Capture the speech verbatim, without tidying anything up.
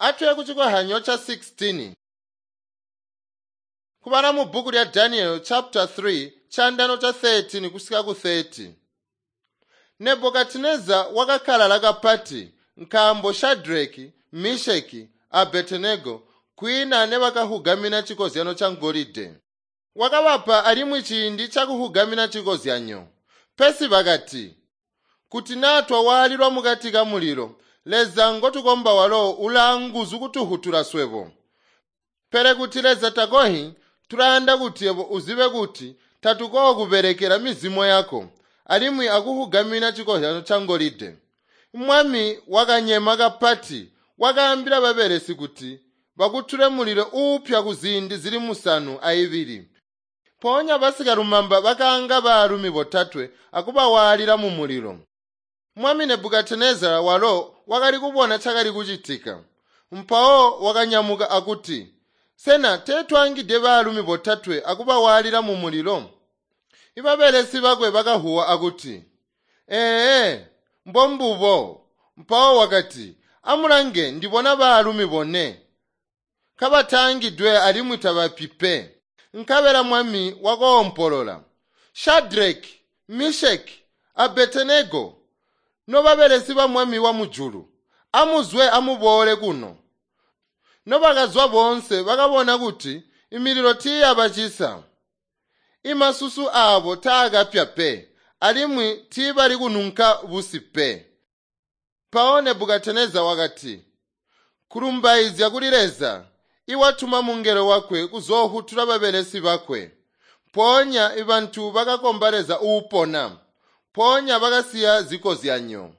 Atuye kuchikohanyo cha sixteen. Kubala mu bhuku lya Daniel chapter three chandano cha thirteen kusika ku thirty. Nebukadineza wakakkalala kapati nkaambo Shadraki, Meshaki a Abedinego kwiina nebakahugamina chikozyano cha ngolide. Wakabapa alimwi ciindi chakuhugamina chikozyanyo. Pesi bakati, kuti naa twawaalilwa mukati ka mulilo, Leza ngotukomba walo ulaanguzu kutuhutula swebo. Pele kuti Leza takohi, tulayanda kuti yebo uzibe kuti tatukokubelekela mizimo yako alimwi akuhugamina chikozyano cha ngolide. Mwami wakanyema kapati, wakaambila babelesi kuti bakutule mulilo uupya kuziindi zili musanu aibili. Mpoonya basikalumamba bakaanga baalumi botatwe akubawaalila mumulilo. Mwami Nebukadinezara walo wakali kubona cakali kucitika. Mpawo wakanyamuka akuti, sena teetwaangide baalumi botatwe akubawaalila mumulilo? Ibabelesi bakwe bakahuwa akuti, ee, mbombubo. Mpawo wakati, amulange ndibona baalumi bone kabatangidwe alimwi tabapi pe. Nkabela mwami wakoompolola, Shadraki, Meshaki, Abedinego, nobabelesi ba mwami wa mujulu, amuzwe amuboole kuno. Nobakazwa boonse bakabona kuti imililo tiiyabacisa. Imasusu aabo taakapya pe, alimwi tiibali kununka busi pe. Mpawo Nebukadineza wakati, kulumbaizya kuli Leza, iwatuma mungelo wakwe kuzoohutula babelesi bakwe. Mpoonya ibantu bakakomba Leza uupona. Mpoonya bakasiya zikozyanyo.